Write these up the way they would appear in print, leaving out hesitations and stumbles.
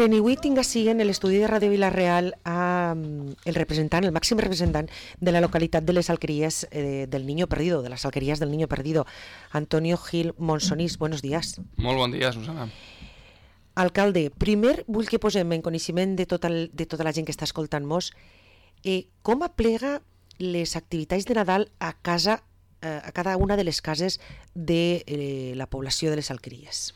Miren, avui tinc així en l'estudi de Ràdio Vila-real el representant, el màxim representant de la localitat de les alqueries del Niño Perdido, de les alqueries del Niño Perdido, Antonio Gil Monsonís. Buenos días. Molt bon dia, Susana. Alcalde, primer vull que posem en coneixement de tota la gent que està escoltant-nos com aplega les activitats de Nadal a cada una de les cases de la població de les alqueries.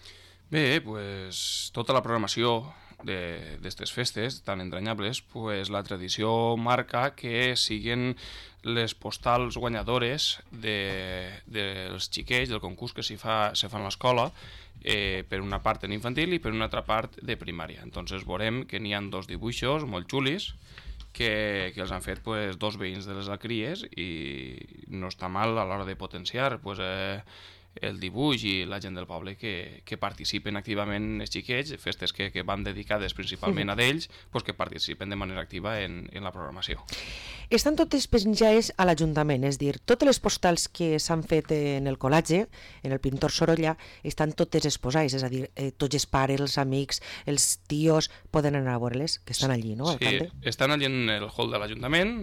Bé, pues, tota la programació d'aquestes festes tan entranyables, pues, la tradició marca que siguen les postals guanyadores dels xiquets, del concurs que se fa a l'escola, per una part en infantil i per una altra part de primària. Entonces veurem que n'hi ha dos dibuixos molt xulis que els han fet pues, dos veïns de les alqueries i no està mal a l'hora de potenciar pues, el dibuix i la gent del poble que participen activament els xiquets, festes que van dedicades principalment a d'ells, pues, que participen de manera activa en la programació. Estan totes penjades a l'Ajuntament, és a dir, totes les postals que s'han fet en el col·legi, en el pintor Sorolla, estan totes exposades, és a dir, tots els pares, els amics, els tios, poden anar a veure-les, que estan allí, no, alcalde? Sí, estan allí en el hall de l'Ajuntament,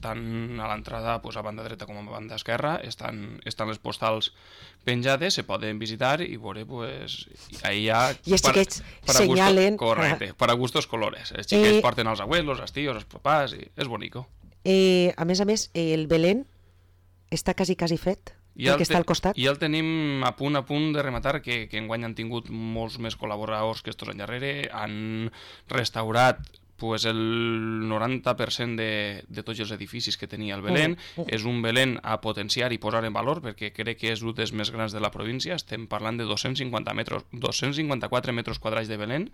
tant a l'entrada pues, a banda dreta com a banda esquerra, estan les postals penjades, se poden visitar i veure, pues, ahí hi ha... I els xiquets senyalen... Correcte, para gustos colores. Els xiquets porten els abuelos, els tios, els papàs, i és bonico. A més, el Belén està quasi fet, perquè està al costat. I el tenim a punt de rematar, que enguany han tingut molts més col·laboradors que estos anys darrere, han restaurat pues el 90% de tots els edificis que tenia el Belén. És un Belén a potenciar i posar en valor perquè crec que és un dels més grans de la província. Estem parlant de 254 metres quadrats de Belén,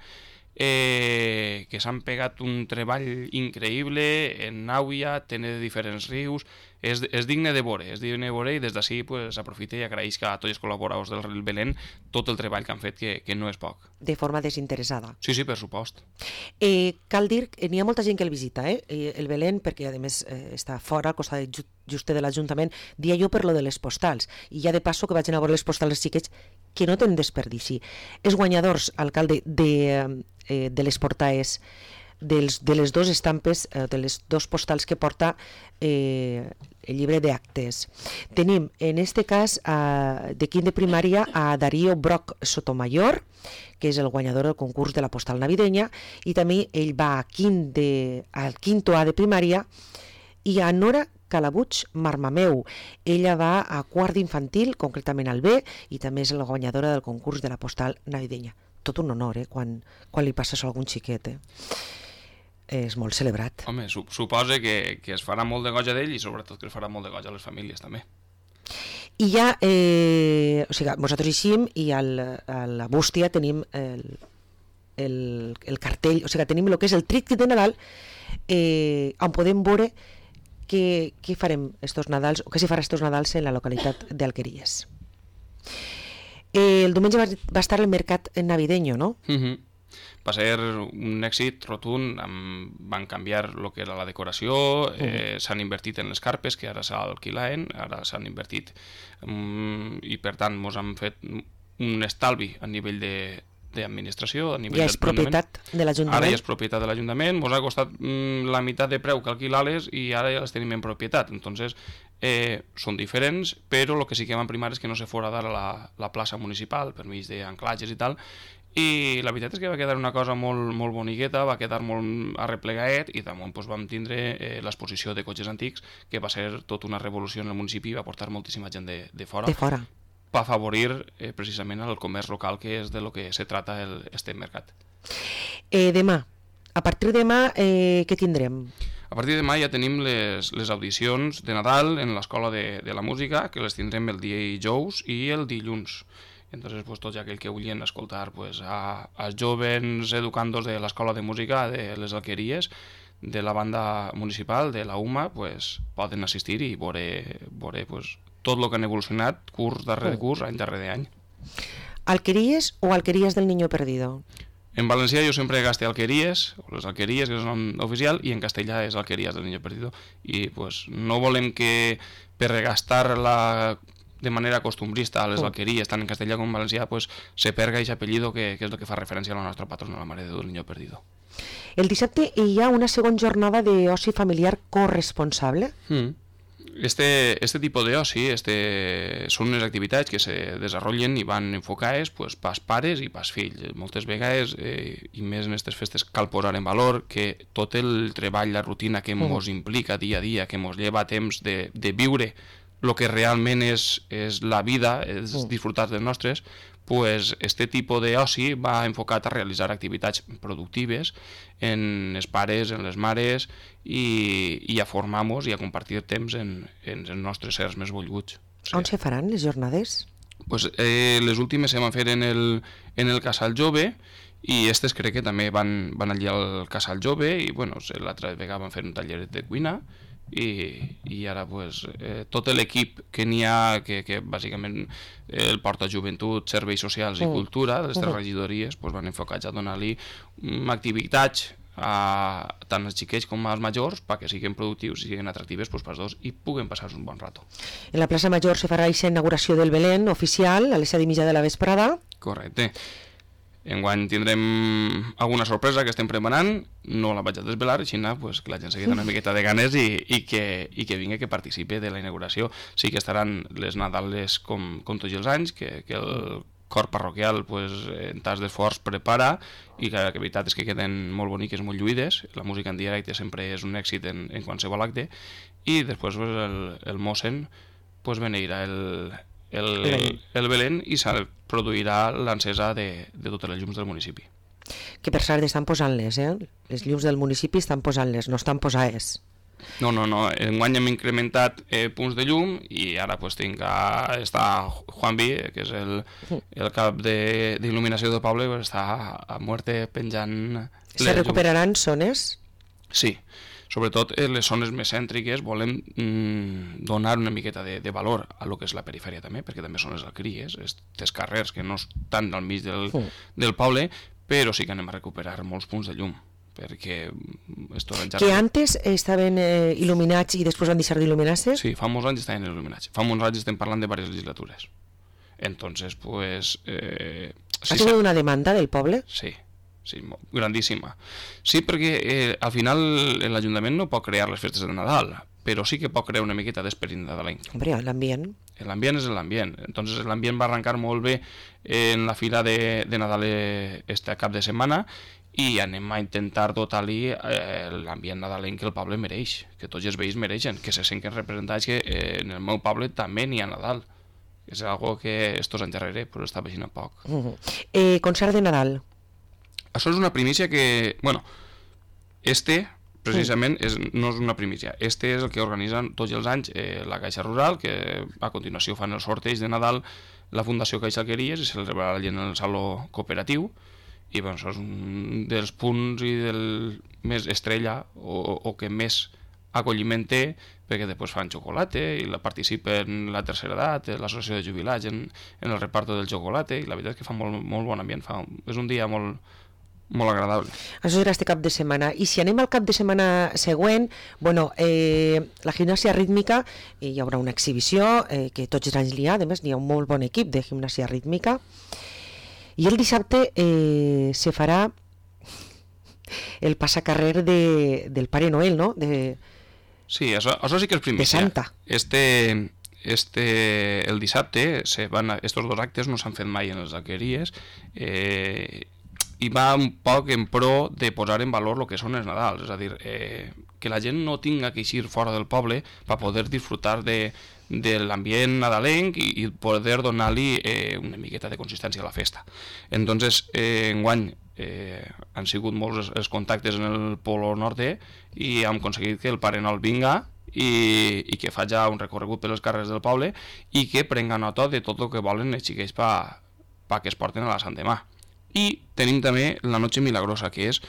que s'han pegat un treball increïble en Nàuia, té de diferents rius, és digne de veure, i des d'ací pues, aprofita i agraeix a tots els col·laboradors del Belén tot el treball que han fet, que no és poc. De forma desinteressada. Sí, per supost. Cal dir que n'hi ha molta gent que el visita, el Belén, perquè a més està fora, al costat just de l'Ajuntament, dia jo per lo de les postals, i ja de passo que vagin a veure les postals dels xiquets, que no tenen desperdici. Els guanyadors, alcalde, de les portades, de les dues estampes, de les dos postals que porta el llibre d'actes. Tenim, en este cas, de quint de primària, a Darío Broc Sotomayor, que és el guanyador del concurs de la postal navideña, i també ell va al quinto A de primària, i a Nora Calabuig Marmameu. Ella va a quart d'infantil, concretament al B, i també és la guanyadora del concurs de la postal navideña. Tot un honor, quan li passa això a algun xiquet, és molt celebrat. Home, suposa que es farà molt de goig a d'ell i sobretot que es farà molt de goig a les famílies també. I ja, o sigui, nosaltres eixim i a la bústia tenim el cartell, o sigui, tenim el que és el tríptic de Nadal, on podem veure què farem estos Nadals, o què s'hi farà estos Nadals en la localitat d'Alqueries. El diumenge va estar el mercat navideño, no? Va ser un èxit rotund, van canviar el que era la decoració, s'han invertit en les carpes que ara s'alquilaven, ara s'han invertit i per tant ens han fet un estalvi a nivell d'administració, a nivell ja és propietat de l'Ajuntament. Ara ja és propietat de l'Ajuntament, ens ha costat la meitat de preu que alquilar-les i ara ja les tenim en propietat, entonces són diferents, però el que sí que vam primar és que no se fora dar a la plaça municipal per mig d'anclatges i tal, i la veritat és que va quedar una cosa molt, molt boniqueta, va quedar molt arreplegaet i damunt doncs, vam tindre l'exposició de cotxes antics, que va ser tota una revolució en el municipi, va portar moltíssima gent de fora. Per afavorir precisament el comerç local, que és de lo que se trata este mercat. Demà, a partir de demà, què tindrem? A partir de demà ja tenim les audicions de Nadal en l'Escola de la Música, que les tindrem el dijous i el dilluns. Entonces, pues, tots aquells que vulguin escoltar pues, als joves educandos de l'Escola de Música de les Alqueries, de la banda municipal, de la UMA, pues, poden assistir i veure pues, tot el que han evolucionat curs darrere curs, any darrere any. Alqueries o Alqueries del Niño Perdido? En valencià jo sempre gaste Alqueries, o les Alqueries, que és el nom oficial, i en castellà és Alqueries del Niño Perdido. I pues, no volem que per gastar de manera costumbrista a les alqueries, tant en castellà com en valencià, pues, se perga aquest apellido que és el que fa referència a la nostra patrona, la Mare de Déu del Niño Perdido. El dissabte hi ha una segona jornada d'oci familiar corresponsable. Este tipo de oci són unes activitats que se desenvolupen i van enfocades pues, pas pares i pas fills. Moltes vegades, i més en aquestes festes, cal posar en valor que tot el treball, la rutina que ens implica dia a dia, que ens lleva temps de viure el que realment és la vida, és disfrutar dels nostres, pues este tipus d'oci va enfocat a realitzar activitats productives en els pares, en les mares i a formar-nos i a compartir temps en els nostres sers més volguts. Sí. On se faran les jornades? Pues, les últimes se van fer en el Casal Jove i aquestes crec que també van allà al Casal Jove i bueno, l'altra vegada van fer un taller de cuina i ara pues, tot l'equip que n'hi ha, que bàsicament el porta Joventut, Serveis Socials i Cultura, les tres regidories, pues, van enfocats a donar-li activitats tant als xiquets com als majors perquè siguin productius i siguin atractives pues, pels dos i puguen passar-se un bon rato. En la plaça Major se farà aquesta inauguració del Belén oficial a les 7:30 de la vesprada. Correcte. Enguany tindrem alguna sorpresa que estem preparant, no la vaig a desvelar, així pues, que la gent se queda una miqueta de ganes i que vingui, que participi de la inauguració. Sí que estaran les Nadales com tots els anys, que el cor parroquial pues, en tas d'esforç prepara i que la veritat és que queden molt boniques, molt lluïdes, la música en directe sempre és un èxit en qualsevol acte i després pues, el mossen pues, beneirà el Belén i se produirà l'encesa de totes les llums del municipi. Que per cert estan posant-les, les llums del municipi estan posant-les, no estan posades. No, enguany hem incrementat punts de llum i ara pues, està Juan Vi, que és el cap d'il·luminació del poble, pues, està a muerte penjant... Se recuperaran zones? Sí. Sobretot en les zones més cèntriques volem donar una miqueta de valor a lo que és la perifèria també, perquè també són les alqueries, aquests carrers que no estan al mig del poble, però sí que anem a recuperar molts punts de llum, perquè... Que antes estaven il·luminats i després van deixar d'il·luminar-se? Sí, fa molts anys estaven il·luminats. Fa molts anys estem parlant de diverses legislatures. Entonces, pues... Ha tingut una demanda del poble? Sí. Sí, grandíssima. Sí, perquè al final l'Ajuntament no pot crear les festes de Nadal, però sí que pot crear una miqueta d'esperit nadalenc. Hombre, l'ambient. L'ambient és l'ambient. Entonces l'ambient va arrencar molt bé en la fira de Nadal este cap de setmana i anem a intentar dotar-li l'ambient nadalenc que el poble mereix, que tots els veïns mereixen, que se senten representats que en el meu poble també n'hi ha Nadal. És algo que estos anys darrere però està veixint a poc. Concert de Nadal. Això és una primícia que, bueno, precisament no és una primícia. És el que organitzen tots els anys la Caixa Rural, que a continuació fan el sorteig de Nadal la Fundació Caixa Alqueries i se celebrarà allà en el Saló Cooperatiu. I bueno, això és un dels punts i del més estrella o que més acolliment té, perquè després fan xocolata i participen la tercera edat, l'associació de jubilats en el reparto del xocolata i la veritat és que fa molt bon ambient, és un dia molt agradable. Això serà este cap de setmana. I si anem al cap de setmana següent, bueno, la gimnàsia rítmica, hi haurà una exhibició que tots els anys n'hi ha, a més n'hi ha un molt bon equip de gimnàsia rítmica, i el dissabte se farà el passacarrer del Pare Noel, no? Sí, això sí que és primícia. De Santa. El dissabte, estos dos actes no s'han fet mai en les alqueries, i va un poc en pro de posar en valor el que són els Nadals, és a dir, que la gent no tinga que eixir fora del poble per poder disfrutar de l'ambient nadalenc i poder donar-li una miqueta de consistència a la festa. Entonces, enguany han sigut molts els contactes en el Polo Nord i hem aconseguit que el Pare Noel vinga i que faci un recorregut per les carrers del poble i que prenga nota de tot el que volen els xiquets perquè es porten a la Sant Demà. I tenim també la Noche Milagrosa, que és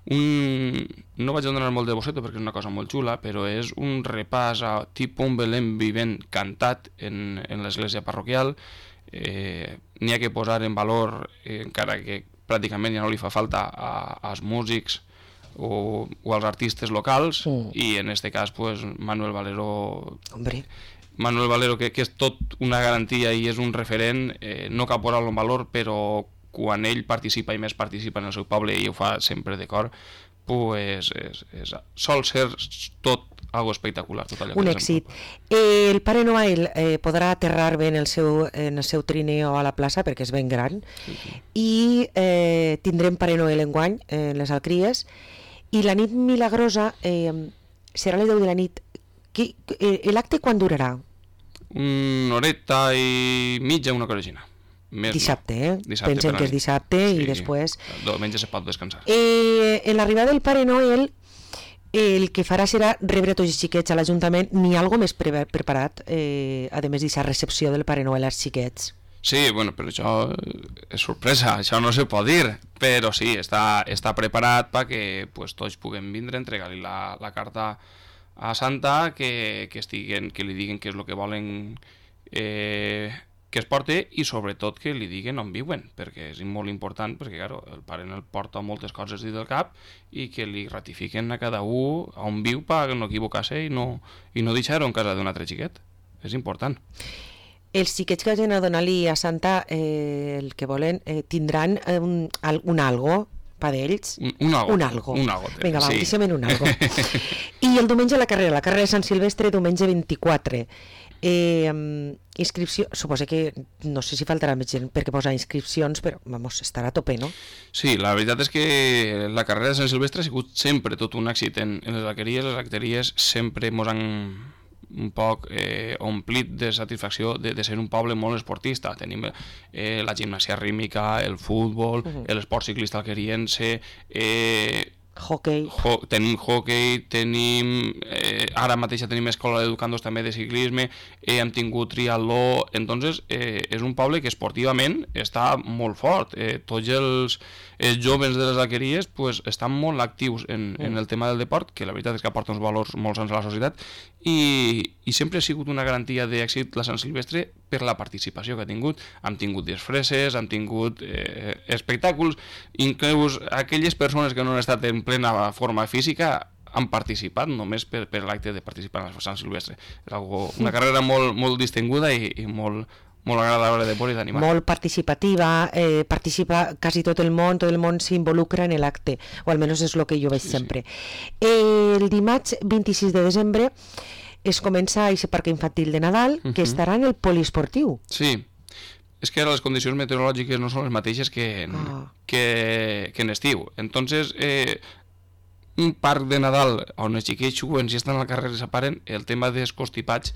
no vaig a donar molt de bosseto perquè és una cosa molt xula, però és un repàs a tipus un Belén vivent cantat en l'església parroquial. N'hi ha que posar en valor, encara que pràcticament ja no li fa falta als músics o als artistes locals, i en aquest cas pues, Manuel Valero Manuel Valero, que és tot una garantia i és un referent, no cal posar-lo en valor, però quan ell participa i més participa en el seu poble i ho fa sempre de cor, pues sol ser tot algo espectacular. Tot allò un èxit. El Pare Noel podrà aterrar bé en el seu trineo a la plaça perquè és ben gran, i tindrem Pare Noel enguany en les Alcries, i la nit milagrosa serà a les 10 de la nit. L'acte quan durarà? Una horeta i mitja, una corregina. Dissabte, pensem que és dissabte, sí, i després... Diumenge se pot descansar. En l'arribada del Pare Noel, el que farà serà rebre tots els xiquets a l'Ajuntament. N'hi ha alguna més preparat, a més d'aquesta recepció del Pare Noel als xiquets? Sí, bueno, però això és sorpresa, això no se pot dir, però sí, està preparat perquè pues, tots puguem vindre, entregar-li la carta a Santa, que li diguen què és el que volen que es porte, i sobretot que li diguen on viuen, perquè és molt important, perquè claro, el pare el porta moltes coses dins del cap i que li ratifiquen a cada un on viu per no equivocar-se i no deixar-ho en casa d'un altre xiquet. És important. Els xiquets que hagin a donar-li a Santa el que volen tindran un algo per d'ells? Un algo. Vinga, va, deixem en un algo. I el diumenge la carrera de Sant Silvestre, diumenge 24. Inscripció, suposo que no sé si faltarà més gent perquè posar inscripcions, però vamos, estarà a tope, no? Sí, la veritat és que la carrera de Sant Silvestre ha sigut sempre tot un èxit en les alqueries. Les alqueries sempre mos han un poc omplit de satisfacció de ser un poble molt esportista. Tenim la gimnàsia rítmica, el futbol, l'esport ciclista alqueriense, hockey. Tenim hockey, ara mateix tenim escola d'educandos també de ciclisme, hem tingut triatló. Entonces és un poble que esportivament està molt fort. Tots els joves de les alqueries pues, estan molt actius en el tema del deport, que la veritat és que aporta uns valors molt sants a la societat, i sempre ha sigut una garantia d'èxit la Sant Silvestre per la participació que ha tingut. Hem tingut disfresses, hem tingut espectàculs, inclús aquelles persones que no han estat en plena forma física han participat només per l'acte de participar en la Sant Silvestre. És una carrera molt distinguda i molt agradable de veure i d'animar. Molt participativa, participa quasi tot el món s'involucra en l'acte, o almenys és el que jo veig sempre. El dimarts 26 de desembre es comença a aquest parc infantil de Nadal, que estarà en el poliesportiu. Sí, és que ara les condicions meteorològiques no són les mateixes que en estiu. Entonces, un parc de Nadal on els xiquets juguen i estan al carrer i s'aparen, el tema dels constipats,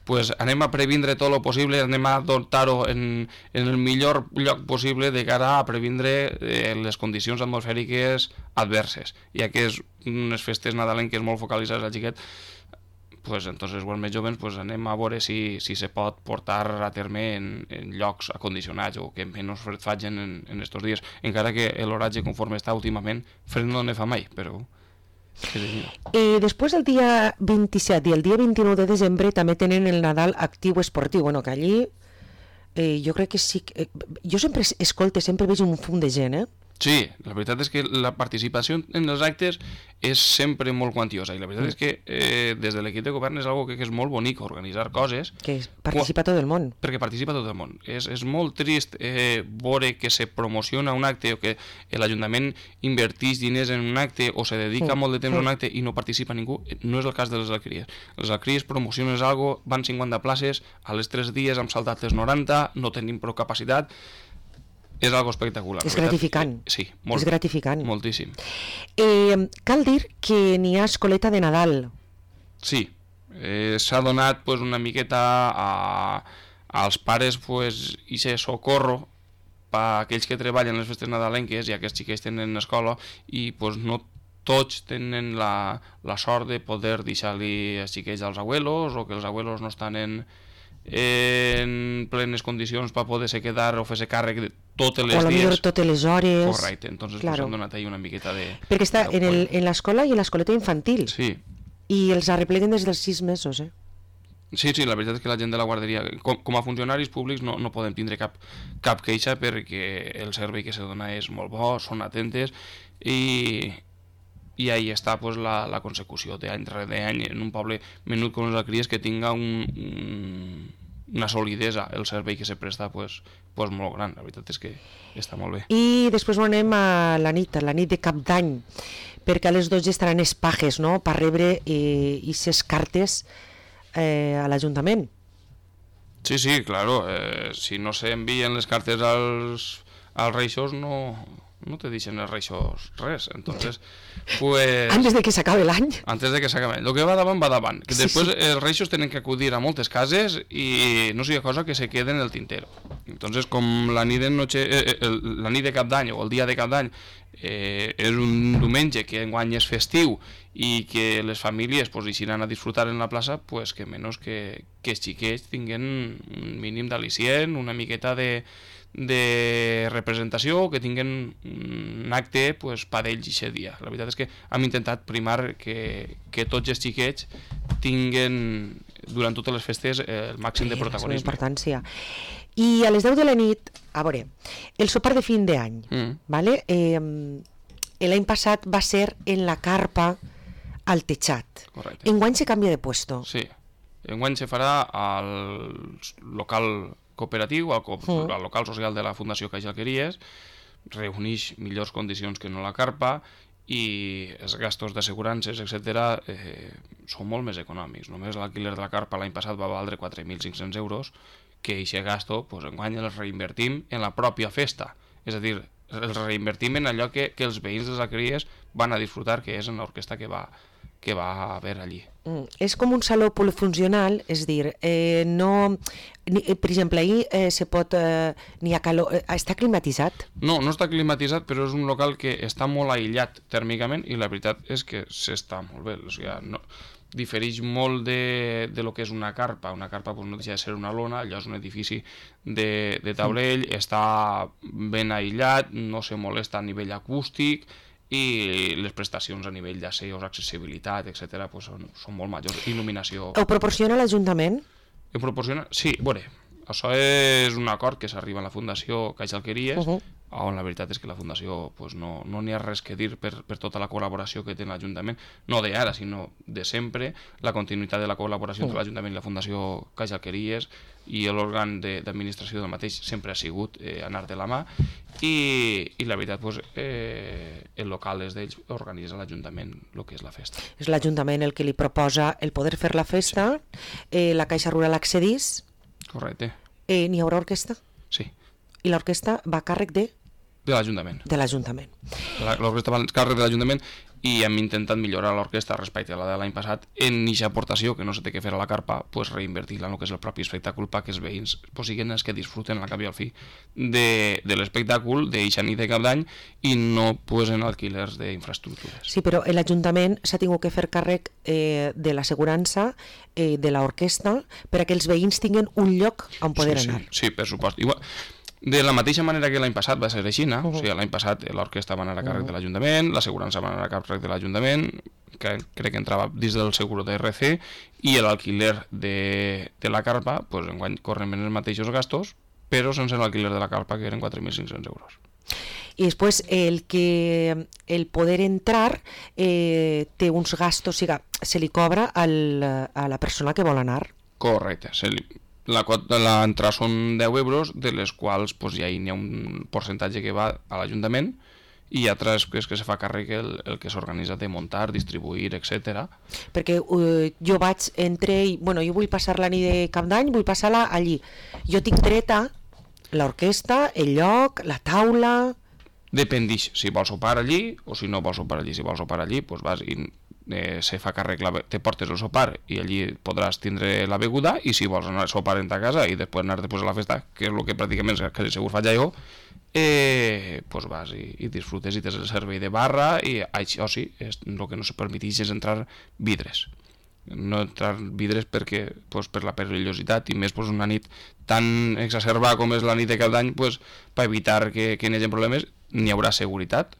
pues anem a previndre tot el possible, anem a dotar-ho en el millor lloc possible de cara a previndre les condicions atmosfèriques adverses. Ja que és unes festes nadalenques molt focalitzades al xiquet, pues entonces els més joves pues anem a veure si se pot portar a terme en llocs acondicionats o que menys fred facin en estos dies, encara que l'horatge conforme està últimament fred no ne fa mai, però... Després del dia 27 i el dia 29 de desembre també tenen el Nadal actiu esportiu, bueno, que allí jo crec que sí, jo sempre sempre veig un fum de gent, Sí, la veritat és que la participació en els actes és sempre molt quantiosa, i la veritat és que des de l'equip de govern és algo que és molt bonic, organitzar coses. Que participa tot el món. Perquè participa tot el món. És molt trist veure que se promociona un acte o que l'Ajuntament inverteix diners en un acte o se dedica molt de temps a un acte i no participa ningú. No és el cas de les alqueries. Les alqueries promociones algo, van 50 places, a les 3 dies hem saltat les 90, no tenim prou capacitat. És algo espectacular. És gratificant. Sí, és gratificant. Moltíssim. Cal dir que n'hi ha escoleta de Nadal. Sí, s'ha donat pues, una miqueta als pares pues, i se socorro per aquells que treballen les festes nadalenques, ja que els xiquets tenen escola i pues, no tots tenen la sort de poder deixar-li els xiquets als abuelos o que els abuelos no estan en plenes condicions per poder-se quedar o fer-se càrrec de totes les dies. O totes les hores. Correcte, entonces claro. Pues, han donat ahí una miqueta de... Perquè està en l'escola i en l'escoleta infantil. Sí. I els arrepleguen des dels 6 mesos, Sí, la veritat és que la gent de la guarderia, com a funcionaris públics, no podem tindre cap queixa perquè el servei que se dona és molt bo, són atentes i i ahí està pues, la consecució d'any rere any en un poble menut com les Alqueries que tinga una solidesa el servei que se presta pues molt gran, la veritat és que està molt bé. I després anem a la nit de Cap d'Any, perquè a les 12 estaran els pajes, no?, per rebre aquestes cartes a l'Ajuntament. Sí, claro, si no s'envien les cartes als reixos no te deixen els reixos res, entonces pues... Antes de que s'acabe l'any. Antes de que s'acabe l'any. El que va davant. Que després els reixos tenen que acudir a moltes cases i no sigui cosa que se quede en el tintero. Entonces, com la nit de Cap d'Any o el dia de Cap d'Any és un diumenge que enguany és festiu i que les famílies pues, hi aniran a disfrutar en la plaça, pues que menys que els xiquets tinguin un mínim d'al·licient, una miqueta de representació, que tinguin un acte pues, per ells aquest dia. La veritat és que hem intentat primar que tots els xiquets tinguin durant totes les festes el màxim de protagonisme. Importància. I a les 10 de la nit, a veure, el sopar de fin d'any, ¿vale? L'any passat va ser en la carpa al teixat. Correcte. Enguany se canvia de puesto. Sí, enguany se farà al local cooperatiu, al local social de la Fundació Caixa Alqueries, reuneix millors condicions que no la carpa i els gastos d'assegurances, etc., són molt més econòmics. Només l'alquiler de la carpa l'any passat va valdre 4.500 euros, que aquest gasto pues, enguany els reinvertim en la pròpia festa. És a dir, els reinvertim en allò que els veïns de les Alqueries van a disfrutar, que és en l'orquestra que va haver allí. És com un saló polifuncional, és dir, per exemple, ahir se pot, n'hi ha calor, està climatitzat? No està climatitzat, però és un local que està molt aïllat tèrmicament i la veritat és que s'està molt bé, o sigui, difereix molt de lo que és una carpa. Una carpa pues, no deixa de ser una lona, allò és un edifici de taulell, està ben aïllat, no se molesta a nivell acústic i les prestacions a nivell d'asseus, accessibilitat, etc. Pues són molt majors. Il·luminació... Ho proporciona l'Ajuntament? Ho proporciona? Sí, veure, això és un acord que s'arriba a la Fundació Caixa Alqueries, on la veritat és que la Fundació pues, no n'hi ha res que dir per tota la col·laboració que té l'Ajuntament, no d'ara, sinó de sempre, la continuïtat de la col·laboració entre l'Ajuntament i la Fundació Caixa Alqueries i l'òrgan d'administració del mateix sempre ha sigut anar de la mà i la veritat pues, el local és d'ells, organitza l'Ajuntament el que és la festa. És l'Ajuntament el que li proposa el poder fer la festa, la Caixa Rural accedís. Correcte. N'hi haurà orquestra? Sí. I l'orquestra va a càrrec de l'Ajuntament. De l'Ajuntament. L'orquestra va a càrrec de l'Ajuntament i hem intentat millorar l'orquestra respecte a la de l'any passat en aquesta aportació que no se té que fer a la carpa, pues reinvertir-la en el que és el propi espectacle perquè els veïns pues, siguin els que disfruten al cap i al fi de l'espectacle d'eixa nit de Cap d'Any i no pues, en alquilers d'infraestructures. Sí, però l'Ajuntament s'ha tingut que fer càrrec de l'assegurança de l'orquestra per a que els veïns tinguin un lloc on poder anar. Sí, per supost. Igual, de la mateixa manera que l'any passat va ser així, o sigui, l'any passat l'orquestra va anar a càrrec de l'Ajuntament, l'assegurança va anar a càrrec de l'Ajuntament, que crec que entrava dins del seguro d'RC, i l'alquiler de la carpa, pues, enguany corren els mateixos gastos, però sense l'alquiler de la carpa, que eren 4.500 euros. I després el poder entrar té uns gastos, o sigui, se li cobra a la persona que vol anar. Correcte, l'entrada són 10 euros, de les quals pues, ja hi ha un percentatge que va a l'Ajuntament i hi ha altres que se fa càrrec el que s'organitza de muntar, distribuir, etc. Perquè jo vaig jo vull passar la nit de Cap d'Any, vull passar-la allí. Jo tinc dreta l'orquestra, el lloc, la taula... Dependix si vols sopar allí o si no vols sopar allí. Si vols sopar allí, pues vas i se fa càrrec, te portes el sopar i allí podràs tindre la beguda i si vols anar a sopar en ta casa i després anar després a la festa, que és el que pràcticament quasi segur faig jo, pues vas i disfrutes i tens el servei de barra i això sí, el que no se permeteix és entrar vidres. No entrar vidres perquè pues, per la perillositat i més pues, una nit tan exacerbada com és la nit de Cap d'Any, pues, per evitar que hi hagi problemes n'hi haurà seguretat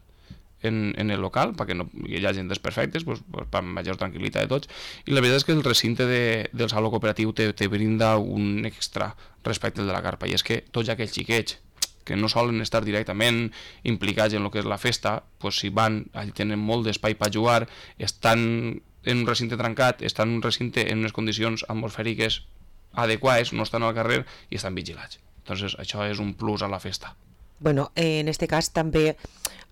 en el local, perquè no hi hagi desperfectes, pues, per major tranquil·litat de tots, i la veritat és que el recinte del saló cooperatiu te brinda un extra respecte al de la carpa, i és que tots aquells xiquets que no solen estar directament implicats en el que és la festa, pues, si van, allà tenen molt d'espai per jugar, estan en un recinte trencat, estan en un recinte en unes condicions atmosfèriques adequades, no estan al carrer i estan vigilats. Entonces, això és un plus a la festa. Bueno, en este cas també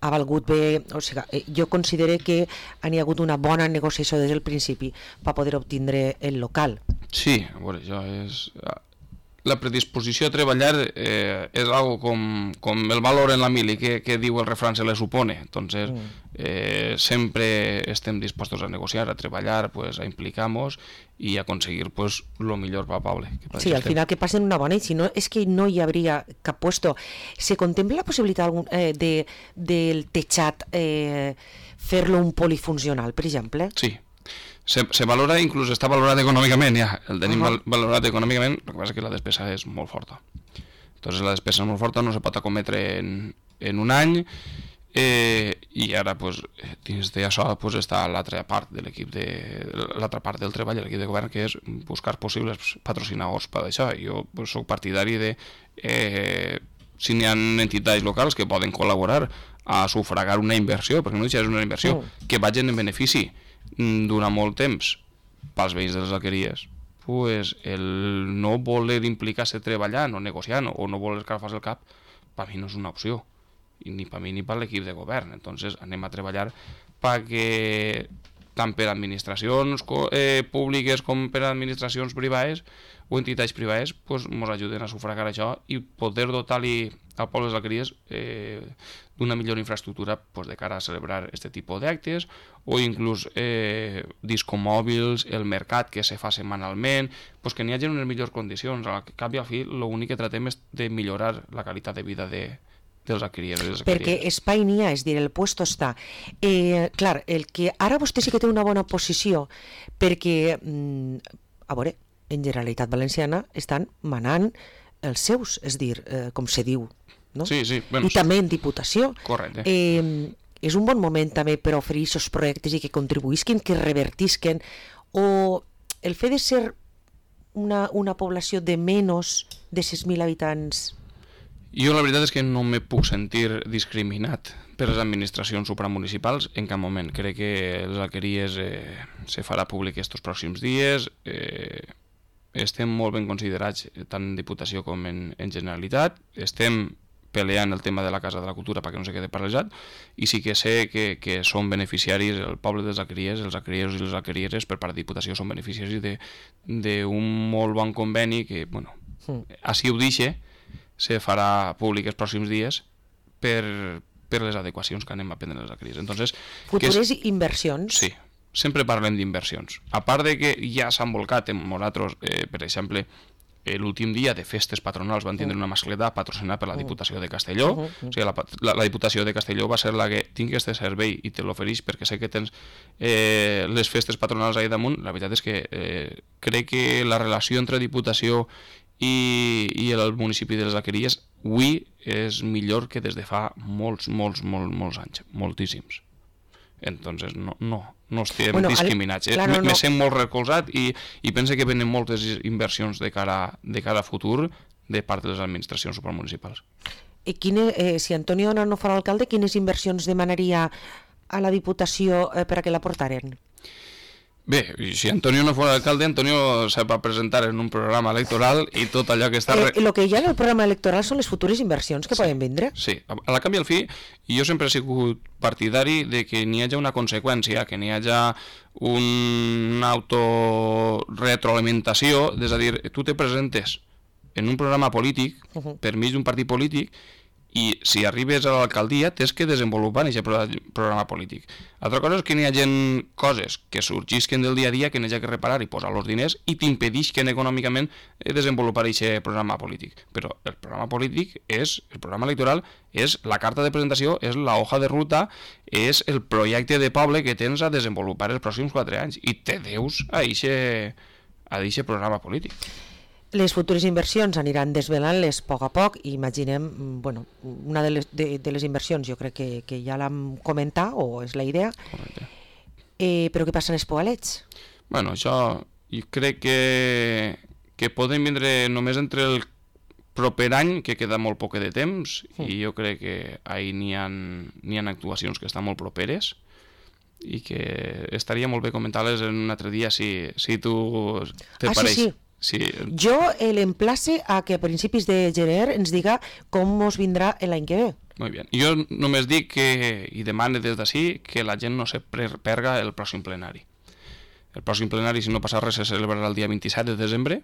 ha valgut bé, o sigui, jo considero que hi ha hagut una bona negociació des del principi per poder obtindre el local. Sí, a veure, això és... La predisposició a treballar és algo com el valor en la mili que diu el refrán se le supone. Entonces, siempre estem dispostos a negociar, a treballar, pues, a implicar-nos i a aconseguir pues, lo millor per Pablo. Sí, al final que passen una bona, i si no, és que no hi hauria cap puesto. ¿Se contempla la possibilitat del techat fer-lo un polifuncional, per exemple? Sí. Se valora, inclús està valorat econòmicament, ja, el tenim valorat econòmicament, el que passa és que la despesa és molt forta. Entonces la despesa és molt forta, no se pot acometre en un any, i ara, pues, dins d'això pues, està l'altra part de l'equip l'altra part del treball, l'equip de govern, que és buscar possibles patrocinadors per això. Jo pues, soc partidari de, si n'hi ha entitats locals que poden col·laborar a sufragar una inversió, perquè no és una inversió, que vagin en benefici durant molt temps pels veïns de les alqueries, pues el no voler implicar-se treballant o negociant o no voler escalfar-se el cap, per mi no és una opció, ni per mi ni per l'equip de govern. Entonces anem a treballar perquè tant per administracions públiques com per administracions privades o entitats privades pues, ens ajuden a sufragar això i poder dotar-li al poble de les alqueries d'una millor infraestructura pues, de cara a celebrar aquest tipus d'actes o inclús discomòbils, el mercat que se fa setmanalment, pues, que n'hi hagi unes millors condicions. Al cap i al fi l'únic que tratem és de millorar la qualitat de vida dels alqueries. Perquè espai n'hi ha, és dir, el puesto està. Clar, el que ara vostè sí que té una bona posició, perquè, a veure, en Generalitat Valenciana estan manant els seus, és dir, com se diu, no? Sí, sí. Bueno, i també en Diputació. Correcte. És un bon moment també per oferir aquests projectes i que contribuïsquen, que revertisquen, o el fet de ser una població de menys de 6.000 habitants... Jo la veritat és que no me puc sentir discriminat per les administracions supramunicipals en cap moment. Crec que les alqueries se farà públic estos pròxims dies. Estem molt ben considerats tant en Diputació com en Generalitat. Estem peleant el tema de la Casa de la Cultura perquè no se quede paralitzat i sí que sé que són beneficiaris el poble dels alqueries, els alquerieros i les alquerieres per part de Diputació són beneficiaris d'un molt bon conveni que, bueno, així ho deixe, se farà públic els pròxims dies per les adequacions que anem a prendre les alqueries. Entonces, futures inversions? Sí, sempre parlem d'inversions. A part de que ja s'han volcat en nosaltres, per exemple, l'últim dia de festes patronals van tindre una mascleta patrocinada per la Diputació de Castelló. O sigui, la Diputació de Castelló va ser la que tinc aquest servei i te l'ofereix perquè sé que tens les festes patronals allà damunt. La veritat és que crec que la relació entre Diputació i el municipi de les Alqueries avui és millor que des de fa molts anys, moltíssims. Entonces no estem discriminats. Me sent molt recolzat i pense que venen moltes inversions de cara a futur de part de les administracions supramunicipals. Si Antonio no fos alcalde, quines inversions demanaria a la Diputació per a que la portaren? Bé, si Antonio no fos alcalde, Antonio se va presentar en un programa electoral i tot allò que està... El que hi ha en el programa electoral són les futures inversions que poden vindre. Sí, a la canvi al fi, jo sempre he sigut partidari de que n'hi hagi una conseqüència, que n'hi hagi una autorretroalimentació, és a dir, tu te presentes en un programa polític, per mig d'un partit polític, i si arribes a l'alcaldia tens que desenvolupar aquest programa polític. Altra cosa és que n'hi ha coses que sorgisquen del dia a dia que n'hi ha que reparar i posar els diners i t'impedisquen econòmicament desenvolupar aquest programa polític. Però el programa polític el programa electoral és la carta de presentació, és la hoja de ruta, és el projecte de poble que tens a desenvolupar els pròxims 4 anys i te deus a aquest programa polític. Les futures inversions aniran desvelant-les a poc i imaginem, bueno, una de les inversions jo crec que ja l'hem comentat o és la idea. Correcte. Però què passa amb els poalets? Bueno, això jo crec que poden vindre només entre el proper any, que queda molt poc de temps, i jo crec que ahir n'hi ha actuacions que estan molt properes i que estaria molt bé comentar-les en un altre dia si tu te pareix. Sí. Sí. Jo l'emplace a que a principis de gener ens diga com us vindrà l'any que ve. Molt bé. Jo només dic i demane des d'ací que la gent no se perga el pròxim plenari. El pròxim plenari, si no passa res, se celebrarà el dia 27 de desembre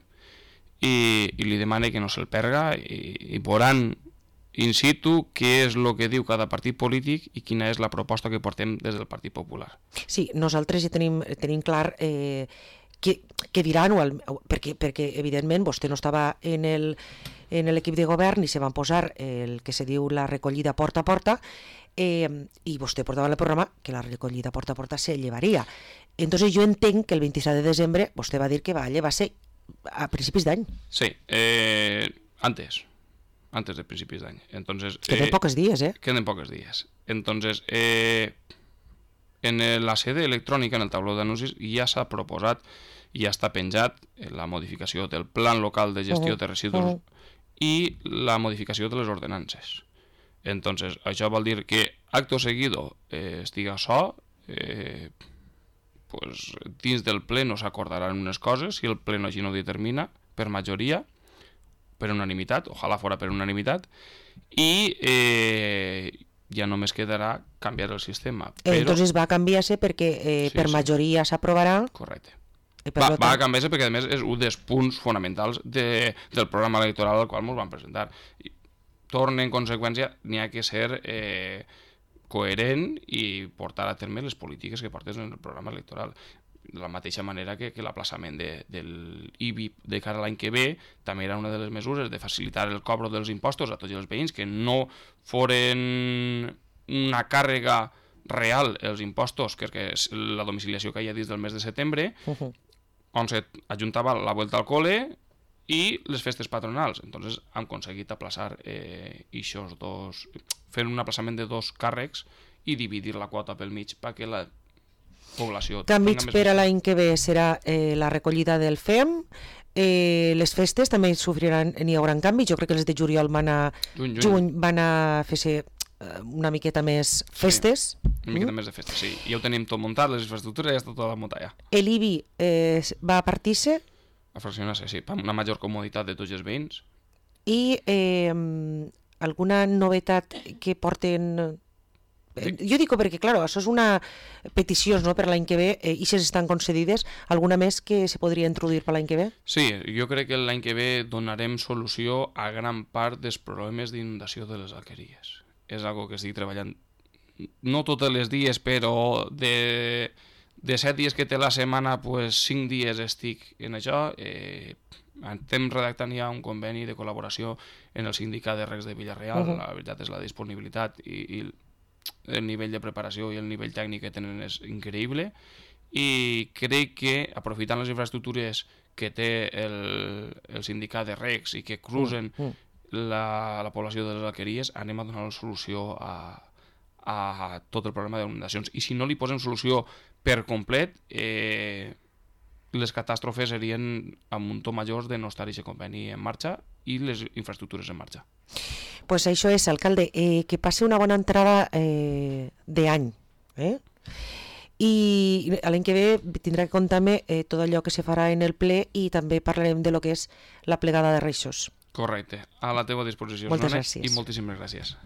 i li demane que no se'l perga i veuran in situ què és el que diu cada partit polític i quina és la proposta que portem des del Partit Popular. Sí, nosaltres ja tenim clar què diran, perquè evidentment vostè no estava en l'equip de govern i se van posar el que se diu la recollida porta a porta i vostè portava en el programa que la recollida porta a porta se llevaria. Entonces jo entenc que el 27 de desembre vostè va dir que va ser a principis d'any. Sí, antes de principis d'any. Queden pocs dies, Queden pocs dies. Entonces, en la sede electrònica, en el tauló d'anuncis, ja s'ha proposat i ja està penjat la modificació del Plan Local de Gestió de Residus i la modificació de les ordenances. Entonces, això vol dir que acto seguido estiga açò, dins del ple no s'acordaran unes coses, si el ple no així no determina, per majoria, per unanimitat, ojalà fora per unanimitat, i ja només quedarà canviar el sistema. Entonces va a canviar-se perquè per majoria s'aprovarà. Correcte. Va a canviar-se perquè a més és un dels punts fonamentals del programa electoral al qual ens van presentar. Torna en conseqüència, n'hi ha que ser coherent i portar a terme les polítiques que portes en el programa electoral. De la mateixa manera que l'aplaçament de l'IBI de cara a l'any que ve també era una de les mesures de facilitar el cobro dels impostos a tots els veïns, que no foren una càrrega real els impostos, que és la domiciliació que hi ha dins del mes de setembre, on s'ajuntava la vuelta al cole i les festes patronals. Entonces hem aconseguit aplaçar eixos dos, fer un aplaçament de 2 càrrecs i dividir la quota pel mig perquè la població... Canvis per a l'any que ve serà la recollida del FEM, les festes també n'hi haurà canvis, jo crec que les de juliol van a fer-se una miqueta més festes. Sí, una miqueta més de festes, sí. Ja ho tenim tot muntat, les infraestructures ja està tot muntat ja. L'IBI va a partir-se? A fraccionar-se, sí, per una major comoditat de tots els veïns. I alguna novetat que porten... Jo dic perquè, clar, això és una petició per l'any que ve i si estan concedides, alguna més que se podria introduir per l'any que ve? Sí, jo crec que l'any que ve donarem solució a gran part dels problemes d'inundació de les alqueries. És algo que estic treballant, no tots els dies, però de 7 dies que té la setmana, 5 dies estic en això. Estem redactant ja un conveni de col·laboració en el sindicat de regs de Villarreal. La veritat és la disponibilitat i el nivell de preparació i el nivell tècnic que tenen és increïble i crec que aprofitant les infraestructures que té el sindicat de regs i que cruzen la població de les alqueries, anem a donar la solució a tot el problema d'inundacions. I si no li posem solució per complet, les catàstrofes serien a muntó majors de no estar aquest conveni en marxa i les infraestructures en marxa. Pues això és, alcalde, que passi una bona entrada d'any. I l'any que ve tindrà que comptar-me tot allò que se farà en el ple i també parlarem de lo que és la plegada de Reixos. Correcte, a la teva disposició. Moltes gràcies. I moltíssimes gràcies.